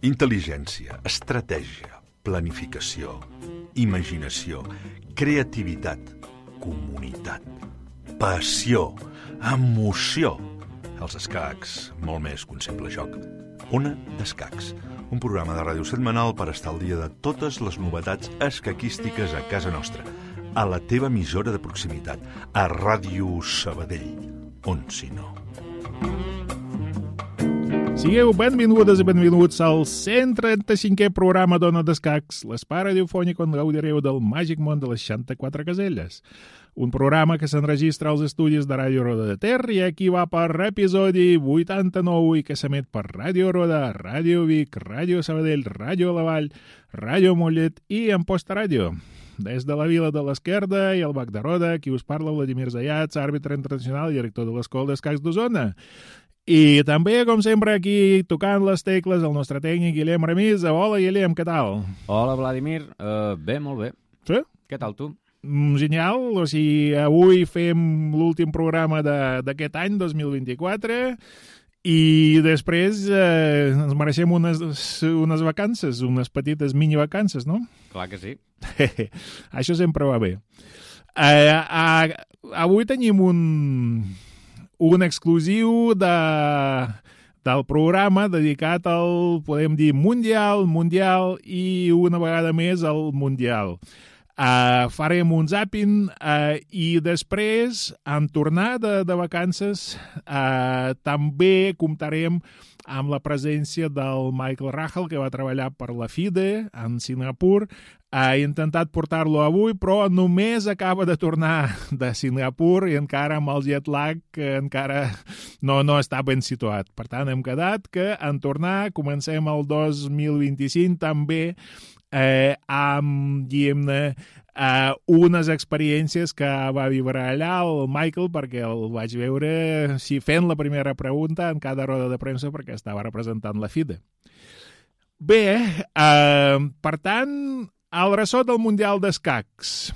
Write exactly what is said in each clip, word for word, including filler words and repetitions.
Intel·ligència, estratègia, planificació, imaginació, creativitat, comunitat, passió, emoció. Els escacs, molt més que un simple joc. Ona d'Escacs, un programa de ràdio setmanal per estar al dia de totes les novetats escaquístiques a casa nostra, a la teva emissora de proximitat, a Ràdio Sabadell, on si no. Sigueu benvingudes i benvinguts al cent trenta-cinquè programa d'Ona d'Escacs, l'espai radiofònic on gaudireu del màgic món de les seixanta-quatre caselles. Un programa que s'enregistra als estudis de Ràdio Roda de Ter i aquí va per episodi vuitanta-nou i que s'emet per Ràdio Roda, Ràdio Vic, Ràdio Sabadell, Ràdio La Vall, Ràdio Mollet i Amposta Ràdio. Des de la Vila de l'Esquerda i el Bac de Roda, qui us parla Vladimir Zayats, àrbitre internacional i director de l'Escola d'Escacs d'Osona. I també, com sempre, aquí tocant les tecles el nostre tècnic Guillem Remisa. Hola, Guillem, què tal? Hola, Vladimir. Uh, bé, molt bé. Sí? Què tal, tu? Mm, genial. O sigui, avui fem l'últim programa d'aquest any, dos mil vint-i-quatre, i després eh, ens mereixem unes, unes vacances, unes petites mini-vacances, no? Clar que sí. Això sempre va bé. Eh, eh, avui tenim un... un exclusiu de, del programa dedicat al, podem dir, Mundial, Mundial i una vegada més al Mundial. Uh, farem un zapping uh, i després, en tornar de, de vacances, uh, també comptarem amb la presència del Michael Rahal, que va treballar per la FIDE en Singapur. He intentat portar-lo avui, però només acaba de tornar de Singapur i encara amb el jet lag que encara no, no està ben situat. Per tant, hem quedat que en tornar comencem el dos mil vint-i-cinc també eh, amb, diguem-ne, eh, unes experiències que va viure allà el Michael, perquè el vaig veure sí, fent la primera pregunta en cada roda de premsa perquè estava representant la FIDE. Bé, eh, per tant, el ressò del Mundial d'Escacs.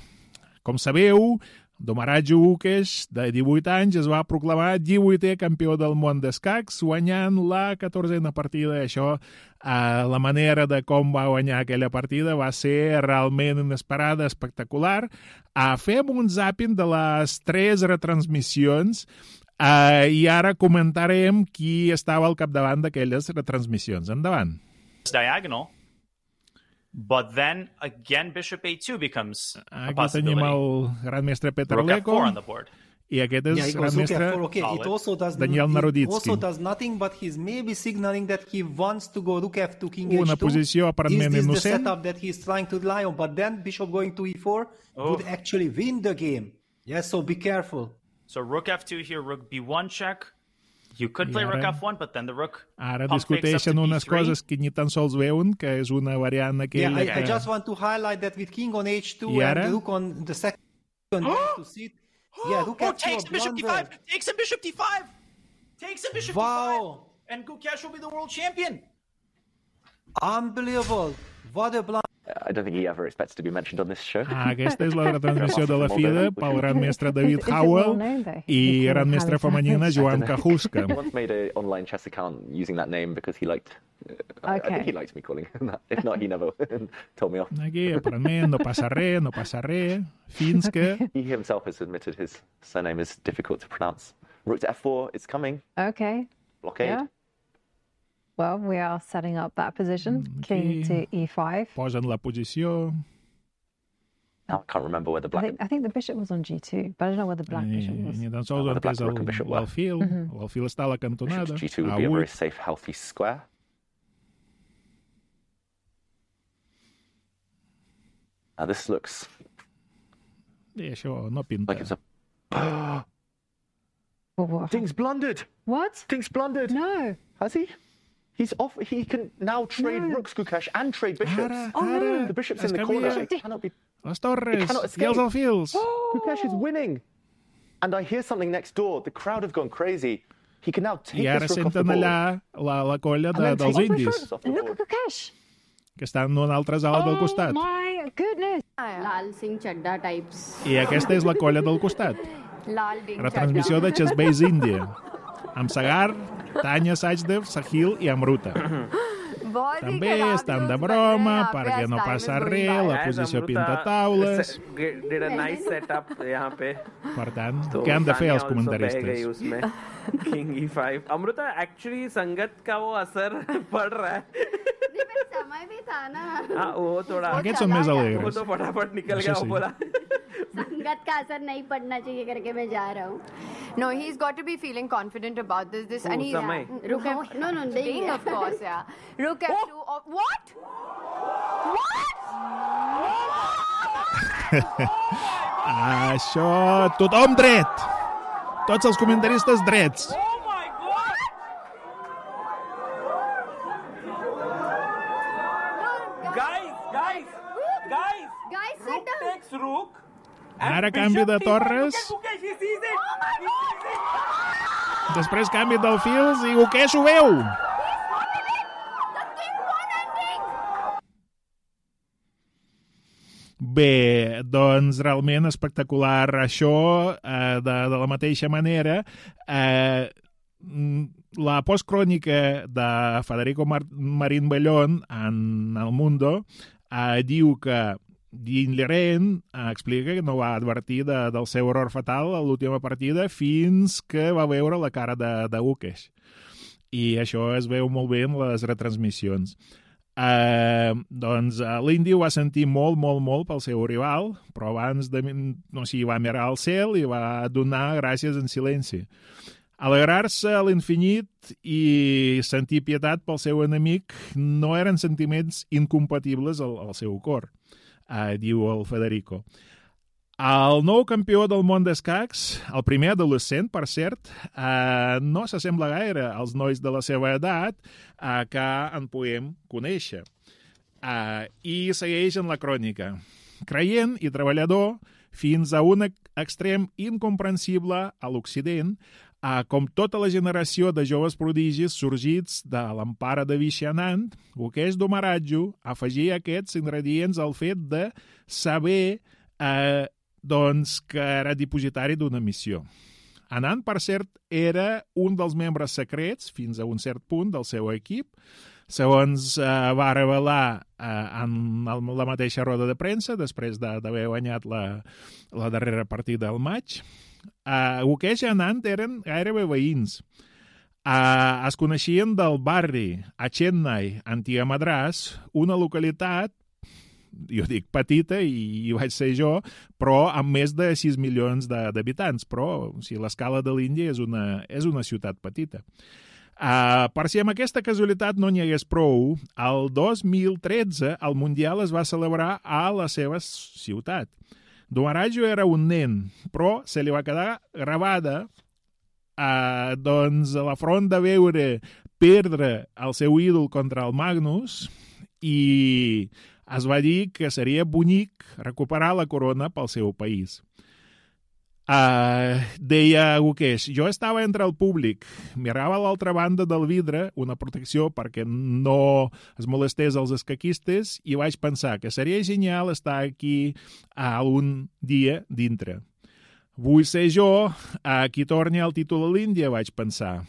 Com sabeu, Domaraj Ukesh, de divuit anys, es va proclamar divuitè campió del món d'escacs, guanyant la catorzena partida. Això, eh, la manera de com va guanyar aquella partida va ser realment inesperada, espectacular. Eh, fem un zapping de les tres retransmissions eh, i ara comentarem qui estava al capdavant d'aquelles retransmissions. Endavant. Diagonal. But then again, Bishop A two becomes a Aquí tenim el gran mestre Peter Leko i aquest és yeah, gran mestre okay. It also does, Daniel Naroditsky. It also does nothing, but he's maybe signaling that he wants to go rook F two, king Una H two. posició aparentment is this innocent. the setup that he's trying to rely on? But then bishop going to E four oh. would actually win the game. Yes, so be careful. So rook F two here, rook B one check. You could play ara, rook F one, but then the rook ara discuteixen unes coses que ni tan sols veuen, que és una variant aquella yeah, I, que... I just want to highlight that with king on H two I and ara? rook on the second to sit. Yeah, rook oh, F two takes bishop D five, takes him bishop D five, takes him bishop wow. D five, and Gukesh will be the world champion. Unbelievable. What a blind. I don't think he ever expects to be mentioned on this show. Ah, aquesta és la retransmissió de la FIDE pel gran mestre David Howell i gran mestra femenina Joan Kajuska. He once made an online chess account using that name because he liked... Uh, okay. I think he likes me calling him that. If not, he never told me off. Aquí, aparentment, no passa res, no passa res, fins que... He himself has admitted his surname is difficult to pronounce. Rook to F four, it's coming. Okay. Blockade. Yeah. Well, we are setting up that position. King to E five. Posen la posició. Now I can't remember where the black... I think, I think the bishop was on G two, but I don't know where the black ni, bishop was. Ni tan sols on és l'alfil. L'alfil està a la cantonada. G two would be a very safe, healthy square. Now this looks... I això no pinta. Like it's a... What? Ding's blundered. What? Ding's blundered. No. Has he? He's off. He can now trade no. rooks, Gukesh, and trade bishops. Ara, oh, ara, no. The bishop's in the corner. It cannot be... Les torres cannot escape. I els alfils. Oh. Gukesh is winning. And I hear something next door. The crowd have gone crazy. He can now take I ara this rook off the senten board. allà la, la colla de, dels indis. Look at Gukesh. Que estan en una altra sala oh, del costat. Oh my goodness. Lal Singh Chadda types. I aquesta és la colla del costat. Lal Ding Retransmissió de Chessbase India. Amb Sagar, Tanya Sajdev, Sahil i Amruta. també estan de broma perquè no passa res, la posició pintataules. Did a nice setup यहाँ पे. Per tant, què han de fer els comentaristes? King E five. Amruta, actually संगत का वो असर पड़ रहा है. समय भी था ना. हाँ, वो थोड़ा. Aquests són més alegres. वो तो फटाफट निकल गया, वो बोला. संगत का असर नहीं पड़ना चाहिए करके मैं जा रहा हूँ. No, he's got to be feeling confident about this. This and he's Look at, no, no, Ding, of course, yeah. Look at you. Oh, what? What? Això, tothom dret. Tots els comentaristes drets. Ara canvi de torres. Després canvi del fils i Guqueix ho veu. Bé, doncs realment espectacular això, eh, de, de la mateixa manera. Eh, la postcrònica de Federico Mar Marín Bellón en El Mundo eh, diu que Dean Leren explica que no va advertir de, del seu error fatal a l'última partida fins que va veure la cara de, de Guqueix. I això es veu molt bé en les retransmissions. Eh, doncs l'Indi ho va sentir molt, molt, molt pel seu rival, però abans de, no sé, va mirar al cel i va donar gràcies en silenci. Alegrar-se a l'infinit i sentir pietat pel seu enemic no eren sentiments incompatibles al, al seu cor. Uh, diu el Federico. El nou campió del món d'escacs, el primer adolescent, per cert, uh, no s'assembla gaire als nois de la seva edat uh, que en podem conèixer. Uh, I segueix en la crònica. Creient i treballador fins a un extrem incomprensible a l'Occident, Uh, com tota la generació de joves prodigis sorgits de l'empara de Vishanand, Guqueix Domaradjo afegia aquests ingredients al fet de saber uh, doncs, que era dipositari d'una missió. Anand, per cert, era un dels membres secrets, fins a un cert punt, del seu equip, segons uh, va revelar uh, en el, la mateixa roda de premsa, després d'haver guanyat la, la darrera partida al maig. Uh, Guqueix i Anand eren gairebé veïns. Uh, es coneixien del barri a Chennai, Antiga Madràs, una localitat, jo dic petita i, i vaig ser jo, però amb més de sis milions d'habitants. Però o sigui, l'escala de l'Índia és una, és una ciutat petita. Uh, per si amb aquesta casualitat no n'hi hagués prou, el dos mil tretze el Mundial es va celebrar a la seva ciutat. Domaradjo era un nen, però se li va quedar gravada eh, doncs, a la front de veure perdre el seu ídol contra el Magnus i es va dir que seria bonic recuperar la corona pel seu país. Uh, deia Guqueix, jo estava entre el públic, mirava a l'altra banda del vidre, una protecció perquè no es molestés els escaquistes, i vaig pensar que seria genial estar aquí algun dia dintre. Vull ser jo a qui torni el títol a l'Índia, vaig pensar.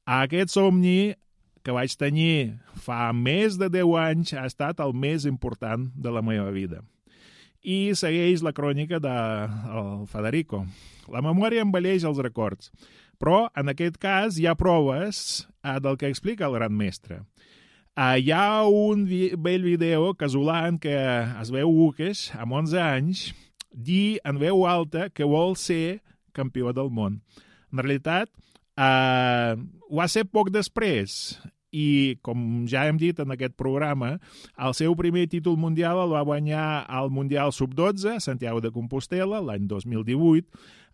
Aquest somni que vaig tenir fa més de deu anys ha estat el més important de la meva vida. I segueix la crònica de el Federico. La memòria embelleix els records, però en aquest cas hi ha proves eh, del que explica el gran mestre. Eh, hi ha un vi vell vídeo casolà en què es veu Guqueix, amb onze anys, dir en veu alta que vol ser campió del món. En realitat, eh, ho va ser poc després, i, com ja hem dit en aquest programa, el seu primer títol mundial el va guanyar al Mundial sub dotze, a Santiago de Compostela, l'any dos mil divuit,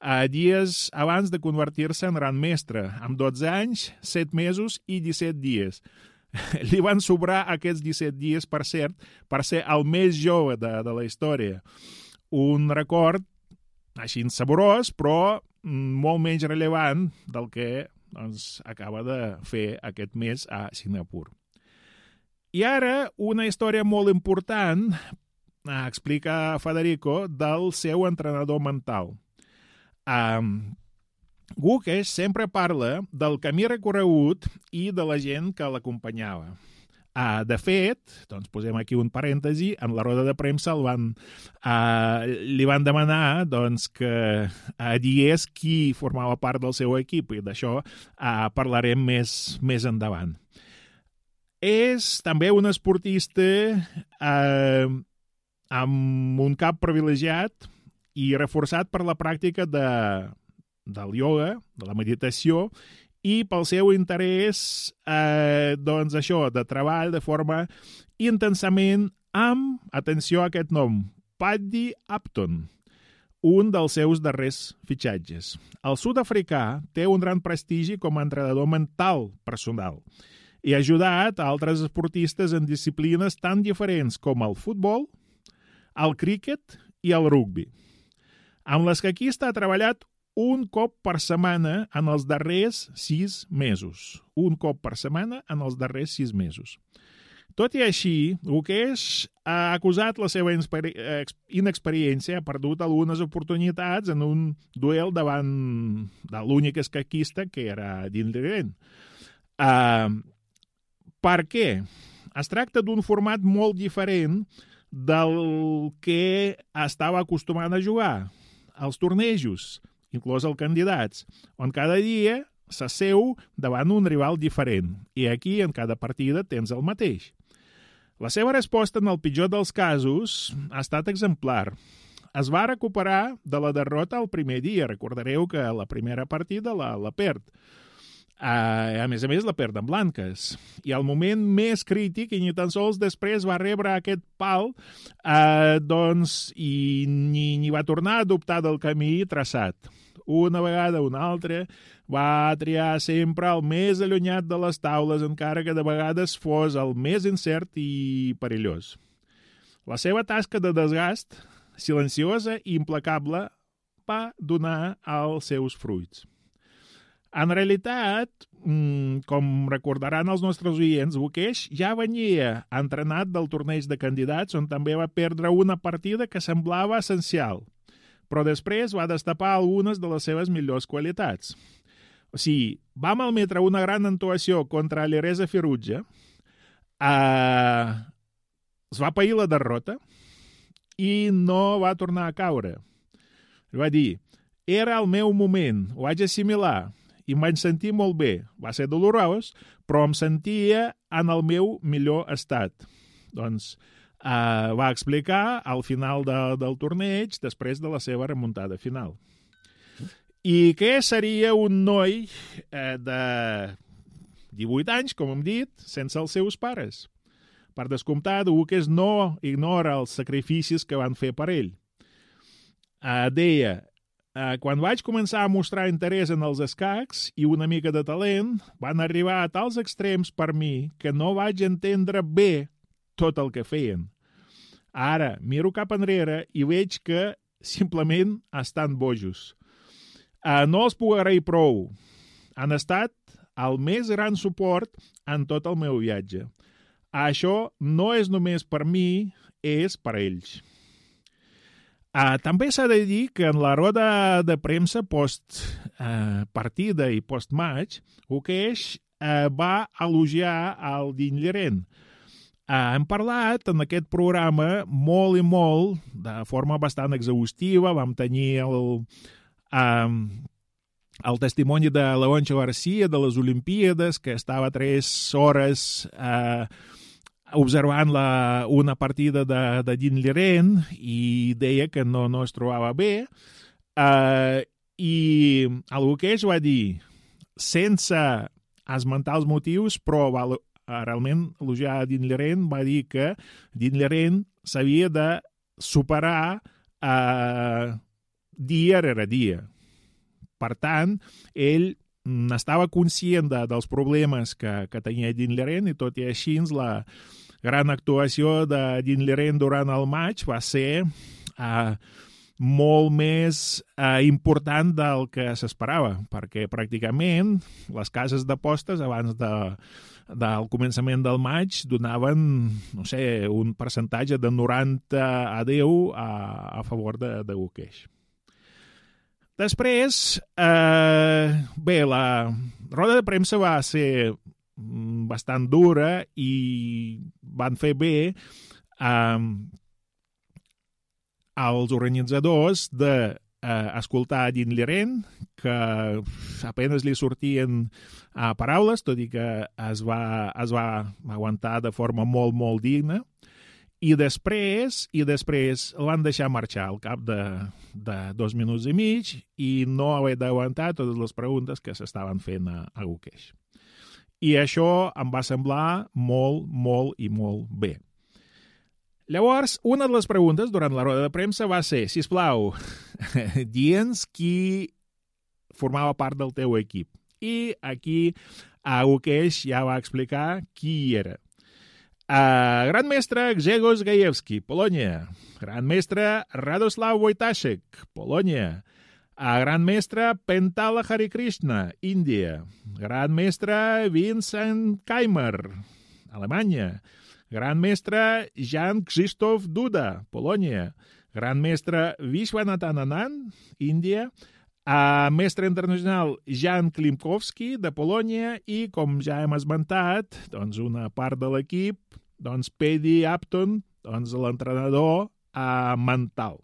eh, dies abans de convertir-se en gran mestre, amb dotze anys, set mesos i disset dies. Li van sobrar aquests disset dies, per cert, per ser el més jove de, de la història. Un record així saborós, però molt menys rellevant del que doncs, acaba de fer aquest mes a Singapur. I ara, una història molt important, explica Federico, del seu entrenador mental. Um, Guqueix sempre parla del camí recorregut i de la gent que l'acompanyava. Uh, de fet, doncs posem aquí un parèntesi, en la roda de premsa el van, uh, li van demanar doncs, que uh, digués qui formava part del seu equip, i d'això uh, parlarem més, més endavant. És també un esportista uh, amb un cap privilegiat i reforçat per la pràctica de, del ioga, de la meditació, i pel seu interès, eh, doncs això, de treball de forma intensament amb, atenció a aquest nom, Paddy Upton, un dels seus darrers fitxatges. El sud-africà té un gran prestigi com a entrenador mental personal i ha ajudat a altres esportistes en disciplines tan diferents com el futbol, el críquet i el rugbi, amb les que aquí està treballat un cop per setmana en els darrers sis mesos. Un cop per setmana en els darrers sis mesos. Tot i així, Gukesh ha acusat la seva inexperiència, ha perdut algunes oportunitats en un duel davant de l'únic escaquista, que era Dean Liren. Uh, per què? Es tracta d'un format molt diferent del que estava acostumant a jugar. Els tornejos, inclòs els candidats, on cada dia s'asseu davant un rival diferent, i aquí en cada partida tens el mateix. La seva resposta en el pitjor dels casos ha estat exemplar. Es va recuperar de la derrota el primer dia, recordareu que la primera partida la, la perd. Uh, a més a més la perd en blanques, i al moment més crític, i ni tan sols després va rebre aquest pal, uh, doncs, i ni, ni va tornar a adoptar del camí traçat. Una vegada, una altra, va triar sempre el més allunyat de les taules, encara que de vegades fos el més incert i perillós. La seva tasca de desgast, silenciosa i implacable, va donar els seus fruits. En realitat, com recordaran els nostres oients, Gukesh ja venia entrenat del torneig de candidats, on també va perdre una partida que semblava essencial, però després va destapar algunes de les seves millors qualitats. O sigui, va malmetre una gran actuació contra l'Eresa Firuja, eh, es va pair la derrota i no va tornar a caure. Va dir, era el meu moment, ho vaig assimilar, i em vaig sentir molt bé. Va ser dolorós, però em sentia en el meu millor estat. Doncs eh, va explicar al final de, del torneig, després de la seva remuntada final. I què seria un noi eh, de divuit anys, com hem dit, sense els seus pares? Per descomptat, Gukesh no ignora els sacrificis que van fer per ell. Eh, deia, Uh, quan vaig començar a mostrar interès en els escacs i una mica de talent, van arribar a tals extrems per mi que no vaig entendre bé tot el que feien. Ara miro cap enrere i veig que simplement estan bojos. Uh, no els puc agrair prou. Han estat el més gran suport en tot el meu viatge. Això no és només per mi, és per ells. Uh, també s'ha de dir que en la roda de premsa post-partida uh, i post-match, Gukesh uh, va elogiar el Dean Liren. Uh, hem parlat en aquest programa molt i molt, de forma bastant exhaustiva. Vam tenir el, um, el testimoni de Leoncio Garcia de les Olimpíades, que estava tres hores uh, observant la, una partida de, de Dean Liren i deia que no, no es trobava bé. Uh, I el Gukesh va dir, sense esmentar els motius, però va realment elogiar Dean Liren, va dir que Dean Liren s'havia de superar uh, dia rere dia. Per tant, ell estava conscient de, dels problemes que, que tenia Dean Liren, i tot i així la gran actuació de Dean Liren durant el maig va ser uh, molt més uh, important del que s'esperava, perquè pràcticament les cases d'apostes abans de, del començament del maig donaven, no sé, un percentatge de noranta a deu a, a favor de, de Gukesh. Després, eh, bé, la roda de premsa va ser bastant dura i van fer bé um, als organitzadors de uh, escoltar Dean Liren, que apenas li sortien uh, paraules, tot i que es va, es va aguantar de forma molt, molt digna. I després, i després el van deixar marxar al cap de, de dos minuts i mig i no haver d'aguantar totes les preguntes que s'estaven fent a, a Guqueix. I això em va semblar molt, molt i molt bé. Llavors, una de les preguntes durant la roda de premsa va ser, sisplau, digue'ns qui formava part del teu equip. I aquí a Guqueix ja va explicar qui era. Uh, Gran mestre Grzegorz Gajewski, Polònia. Gran mestre Radoslaw Wojtaszek, Polònia. Uh, gran mestre Pentala Harikrishna, Índia. Gran mestre Vincent Keimer, Alemanya. Gran mestre Jan Krzysztof Duda, Polònia. Gran mestre Vishwanathan Anand, Índia. Uh, mestre internacional Jan Klimkowski, de Polònia, i, com ja hem esmentat, doncs una part de l'equip, doncs Paddy Upton, doncs l'entrenador uh, mental.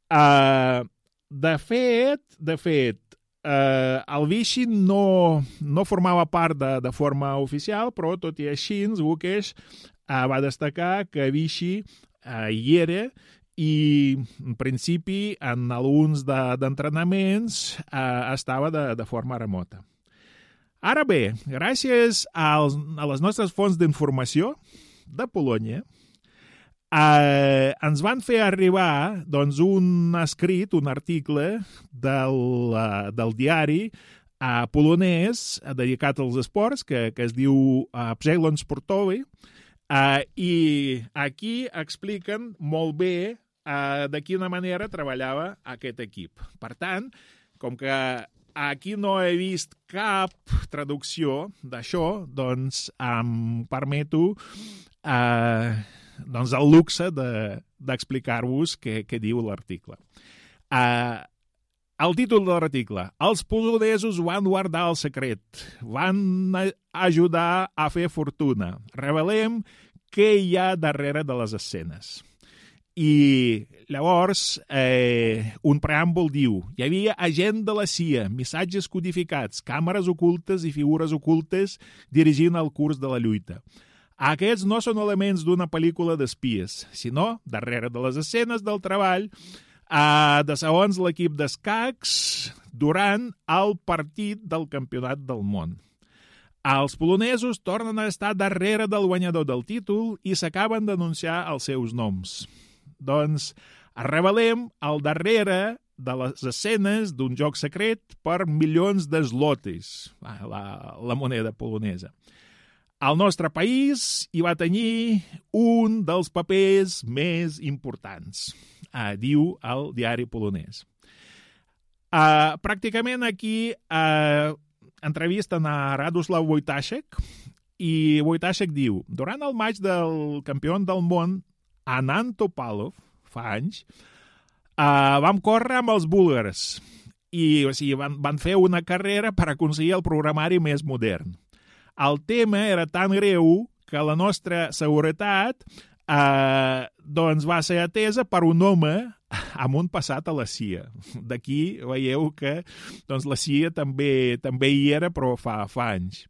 Uh, de fet, de fet, uh, el Vichy no, no formava part de, de forma oficial, però tot i així, Guqueix uh, va destacar que Vichy uh, hi era, i en principi en alguns d'entrenaments de, eh, estava de, de forma remota. Ara bé, gràcies als, a les nostres fonts d'informació de Polònia, eh, ens van fer arribar doncs, un escrit, un article del, uh, del diari uh, polonès dedicat als esports, que, que es diu uh, Przegląd Sportowy, uh, i aquí expliquen molt bé Uh, de quina manera treballava aquest equip. Per tant, com que aquí no he vist cap traducció d'això, doncs em permeto uh, doncs el luxe d'explicar-vos de, què, què diu l'article. Uh, el títol de l'article: els polonesos van guardar el secret, van ajudar a fer fortuna. Revelem què hi ha darrere de les escenes. I llavors eh, un preàmbul diu: hi havia agent de la C I A, missatges codificats, càmeres ocultes i figures ocultes dirigint el curs de la lluita. Aquests no són elements d'una pel·lícula d'espies, sinó darrere de les escenes del treball eh, de segons l'equip d'escacs durant el partit del Campionat del Món. Els polonesos tornen a estar darrere del guanyador del títol i s'acaben d'anunciar els seus noms. Doncs revelem el darrere de les escenes d'un joc secret per milions de zlotis, la, la moneda polonesa. El nostre país hi va tenir un dels papers més importants, eh, diu el diari polonès. Eh, pràcticament aquí eh, entrevisten a Radoslaw Wojtaszek i Wojtaszek diu: durant el maig del campió del món Anand Topalov, fa anys, uh, vam córrer amb els búlgars i o sigui, van, van fer una carrera per aconseguir el programari més modern. El tema era tan greu que la nostra seguretat uh, doncs va ser atesa per un home amb un passat a la C I A. D'aquí veieu que doncs, la C I A també, també hi era, però fa, fa anys.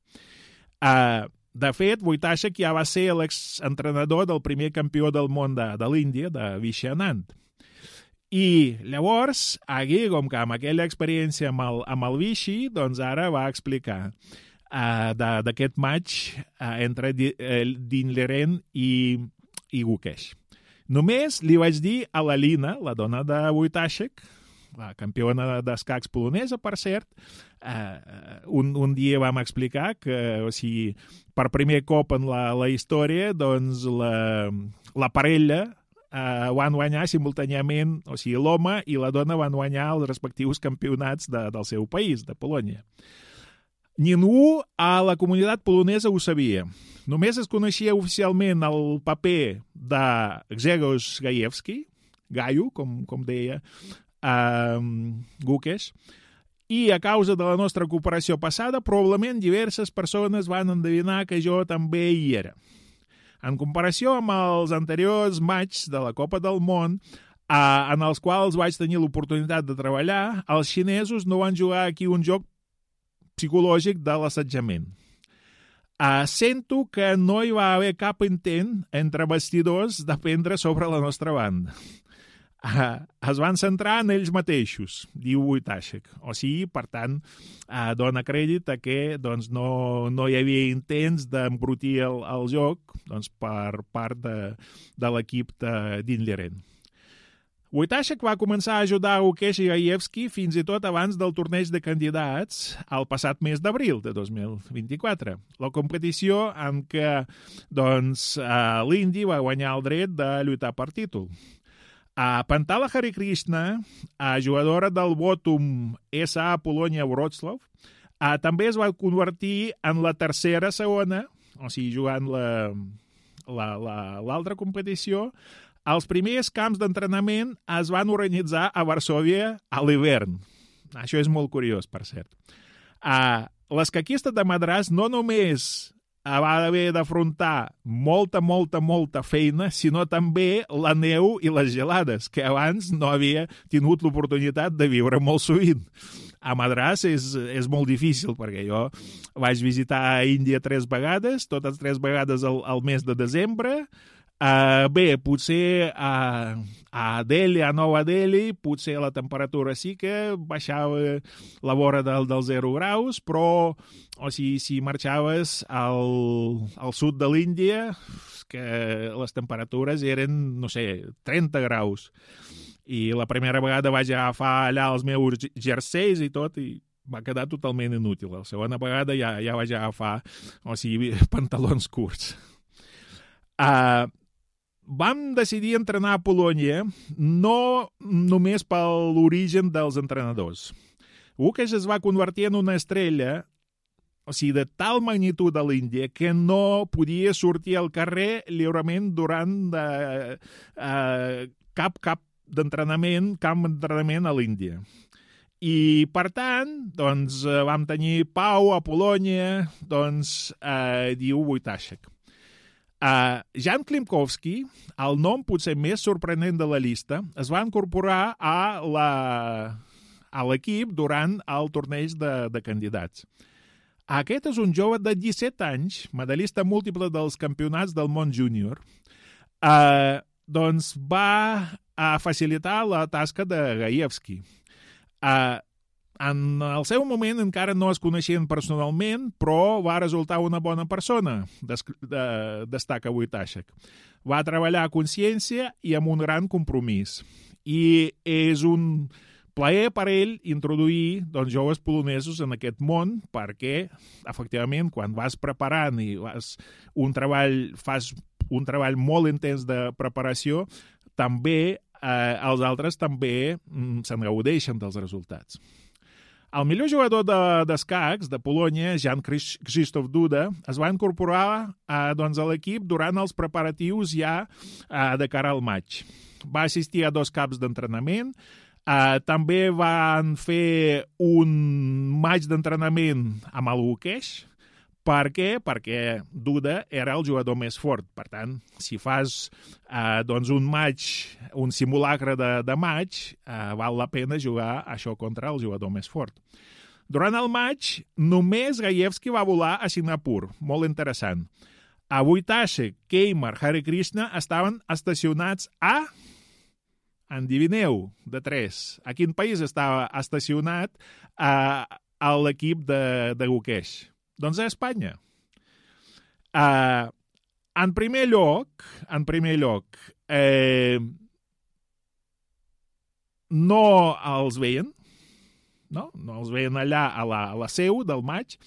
Uh, De fet, Wojtaszek ja va ser l'exentrenador del primer campió del món de, de l'Índia, de Vishy Anand. I llavors, aquí, com que amb aquella experiència amb el, amb el Vishy, doncs ara va explicar uh, d'aquest match uh, entre Dean Liren i, i Guqueix. Només li vaig dir a la Lina, la dona de Wojtaszek, la campiona d'escacs polonesa, per cert, eh, un, un dia vam explicar que, o sigui, per primer cop en la, la història, doncs la, la parella eh, van guanyar simultàniament, o sigui, l'home i la dona van guanyar els respectius campionats de, del seu país, de Polònia. Ningú a la comunitat polonesa ho sabia. Només es coneixia oficialment el paper de Grzegorz Gajewski, Gaio, com, com deia, Um, Guqueix, i a causa de la nostra cooperació passada, probablement diverses persones van endevinar que jo també hi era. En comparació amb els anteriors matxs de la Copa del Món, eh, en els quals vaig tenir l'oportunitat de treballar, els xinesos no van jugar aquí un joc psicològic de l'assetjament. Uh, sento que no hi va haver cap intent entre vestidors d'aprendre sobre la nostra banda. Uh, es van centrar en ells mateixos, diu Wojtaszek. O sigui, per tant, uh, dona crèdit a que doncs, no, no hi havia intents d'embrutir el, el joc doncs, per part de, de l'equip d'Inleren. Wojtaszek va començar a ajudar Gukesh i Gajewski fins i tot abans del torneig de candidats el passat mes d'abril de dos mil vint-i-quatre. La competició en què doncs, uh, l'Indy va guanyar el dret de lluitar per títol. Uh, Pantala Harikrishna, uh, jugadora del Botum S A Polonia Wrocław, uh, també es va convertir en la tercera segona, o sigui, jugant la, la, la, l'altra competició. Els primers camps d'entrenament es van organitzar a Varsòvia a l'hivern. Això és molt curiós, per cert. Uh, l'escaquista de Madràs no només va haver d'afrontar molta, molta, molta feina, sinó també la neu i les gelades, que abans no havia tingut l'oportunitat de viure molt sovint. A Madràs és, és molt difícil, perquè jo vaig visitar a Índia tres vegades, totes tres vegades al, al mes de desembre. Uh, bé, potser a, a Delhi, a Nova Delhi, potser la temperatura sí que baixava la vora del, dels zero graus, però o sigui, si marxaves al, al sud de l'Índia, que les temperatures eren, no sé, trenta graus. I la primera vegada vaig agafar allà els meus jerseis i tot, i va quedar totalment inútil. La segona vegada ja, ja vaig agafar, o sigui, pantalons curts. Uh, Vam decidir entrenar a Polònia no només per l'origen dels entrenadors. Gukesh es va convertir en una estrella, o sigui, de tal magnitud a l'Índia que no podia sortir al carrer lliurement durant de, uh, cap cap d'entrenament, camp d'entrenament a l'Índia. I, per tant, doncs, vam tenir pau a Polònia, doncs, uh, diu Wojtaszek. Uh, Jan Klimkowski, el nom potser més sorprenent de la llista, es va incorporar a, la, a l'equip durant el torneig de, de candidats. Aquest és un jove de disset anys, medallista múltiple dels campionats del món júnior, uh, doncs va a facilitar la tasca de Gajewski. Uh, En el seu moment encara no es coneixien personalment, però va resultar una bona persona, destaca Wojtaszek. Va treballar a consciència i amb un gran compromís. I és un plaer per ell introduir doncs, joves polonesos en aquest món, perquè, efectivament, quan vas preparant i vas un treball, fas un treball molt intens de preparació, també eh, els altres també mm, se'n gaudeixen dels resultats. El millor jugador d'escacs de, de Polònia, Jan Krzysztof Duda, es va incorporar eh, doncs, a l'equip durant els preparatius ja eh, de cara al maig. Va assistir a dos caps d'entrenament, eh, també van fer un maig d'entrenament amb el Gukesh. Per què? Perquè Duda era el jugador més fort. Per tant, si fas eh, doncs un match, un simulacre de, de match, eh, val la pena jugar això contra el jugador més fort. Durant el match, només Gajewski va volar a Singapur. Molt interessant. A Wojtaszek, Keimer, Harikrishna estaven estacionats a... Endivineu, de tres. A quin país estava estacionat eh, a l'equip de, de Gukesh? Doncs a Espanya. Uh, en primer lloc, en primer lloc, eh, no els veien, no? No els veien allà a la, a la seu del maig,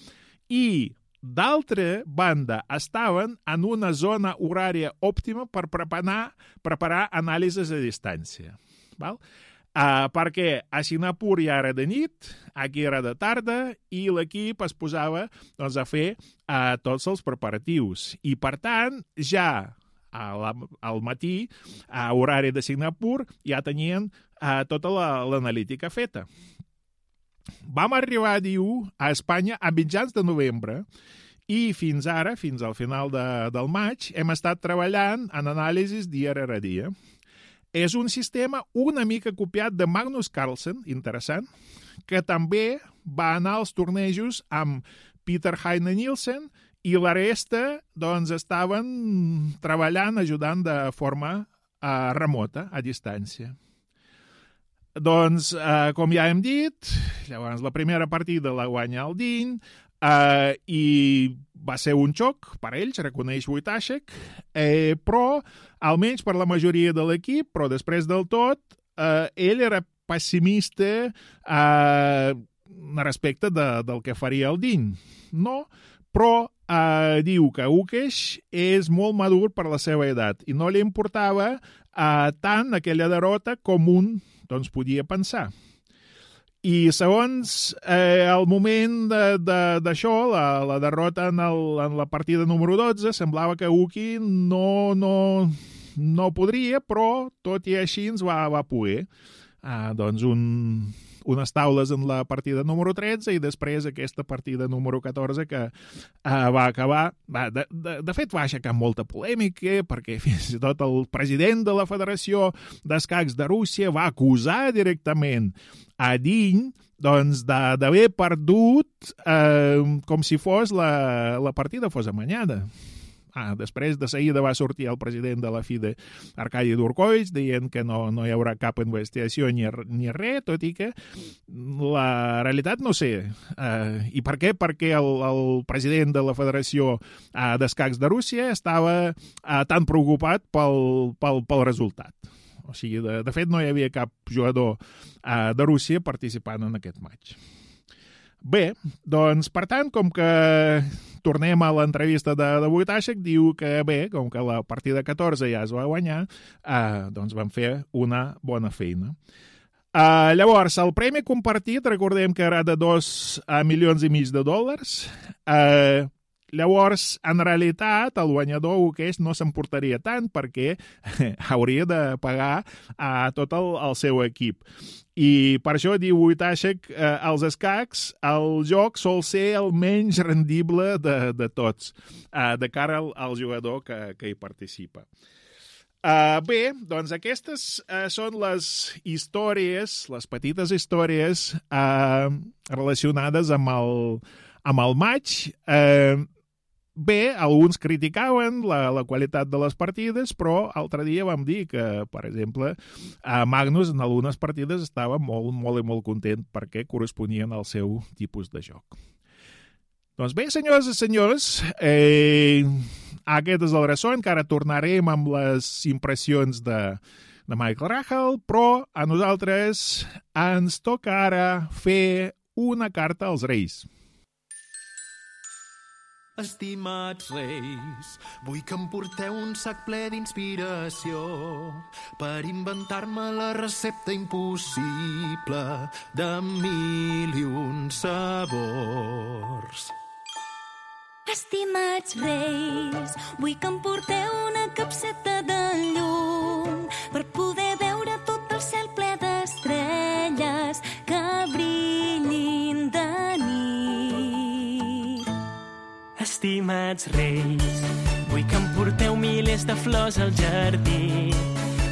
i d'altra banda estaven en una zona horària òptima per preparar, preparar anàlisis a distància. Val? Uh, perquè a Singapur ja era de nit, aquí era de tarda, i l'equip es posava doncs, a fer uh, tots els preparatius. I, per tant, ja al matí, a horari de Singapur, ja tenien uh, tota l'analítica feta. vam arribar, diu, a Espanya a mitjans de novembre i fins ara, fins al final de, del maig, hem estat treballant en anàlisis dia rere dia. És un sistema una mica copiat de Magnus Carlsen, interessant, que també va anar als tornejos amb Peter Heine Nielsen i la resta doncs, estaven treballant, ajudant de forma uh, remota, a distància. Doncs, uh, com ja hem dit, llavors la primera partida la guanya el Diny, Uh, i va ser un xoc per ells, reconeix Wojtaszek, eh, però almenys per la majoria de l'equip, però després del tot, uh, ell era pessimista uh, respecte de, del que faria el Diny. No, però uh, diu que Ukesh és molt madur per la seva edat i no li importava uh, tant aquella derrota com un doncs, podia pensar. I segons eh, el moment d'això, la, la derrota en, el, en la partida número dotze, semblava que Uki no, no, no podria, però tot i així ens va, va poder. Ah, doncs un, unes taules en la partida número tretze i després aquesta partida número catorze que ah, va acabar... Va, de, de, de fet, va aixecar molta polèmica perquè fins i tot el president de la Federació d'Escacs de Rússia va acusar directament a Diny doncs, d'haver perdut eh, com si fos la, la partida fos amanyada. Ah, després de seguida va sortir el president de la FIDE, Arkady Durkovich, dient que no, no hi haurà cap investigació ni, ni res, tot i que la realitat no sé. Eh, I per què? Perquè el, el president de la Federació eh, d'Escacs de Rússia estava eh, tan preocupat pel, pel, pel resultat. O sigui, de, de fet, no hi havia cap jugador eh, de Rússia participant en aquest match. Bé, doncs, per tant, com que tornem a l'entrevista de, de Wojtaszek, diu que bé, com que la partida catorze ja es va guanyar, eh, doncs van fer una bona feina. Eh, llavors, el premi compartit, recordem que era de dos eh, milions i mig de dòlars. Eh, llavors, en realitat, el guanyador Ukesh no s'emportaria tant perquè hauria de pagar a tot el, el seu equip. I per això, diu Wojtaszek, eh, als escacs el joc sol ser el menys rendible de, de tots, eh, de cara al, al jugador que, que hi participa. Uh, bé, doncs aquestes uh, són les històries, les petites històries uh, relacionades amb el, amb el match. Uh, Bé, alguns criticaven la, la qualitat de les partides, però altre dia vam dir que, per exemple, Magnus en algunes partides estava molt, molt i molt content perquè corresponien al seu tipus de joc. Doncs bé, senyors i senyors, eh, aquest és el ressò, encara tornarem amb les impressions de, de Michael Rahal, però a nosaltres ens toca ara fer una carta als Reis. Estimats Reis, vull que em porteu un sac ple d'inspiració per inventar-me la recepta impossible de mil i un sabors. Estimats Reis, vull que em porteu una capseta de llum per poder veure tot el cel ple d'estrelles que brillin de nit. Estimats Reis, vull que em porteu milers de flors al jardí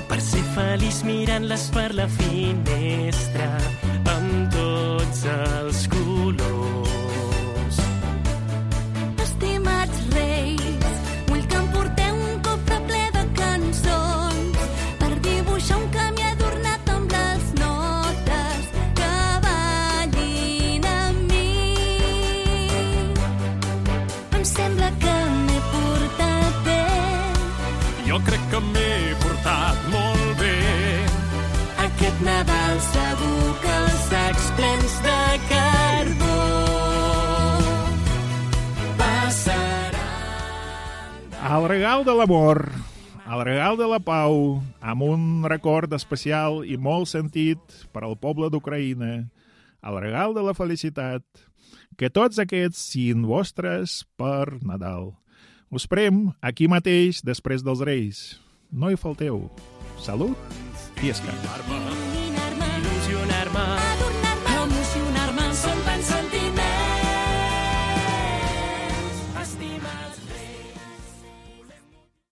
per ser feliç mirant-les per la finestra amb tots els colors. Estimats Reis, vull que em porteu un cofre ple de cançons per dibuixar un camí adornat amb les notes que ballin amb mi. Em sembla que m'he portat bé. Jo crec que m'he portat molt bé. Aquest Nadal segur que els sacs plens de carbó El regal de l'amor, el regal de la pau, amb un record especial i molt sentit per al poble d'Ucraïna, el regal de la felicitat, que tots aquests siguin vostres per Nadal. Us prem aquí mateix després dels Reis. No hi falteu. Salut i escac. Il·lusionar-me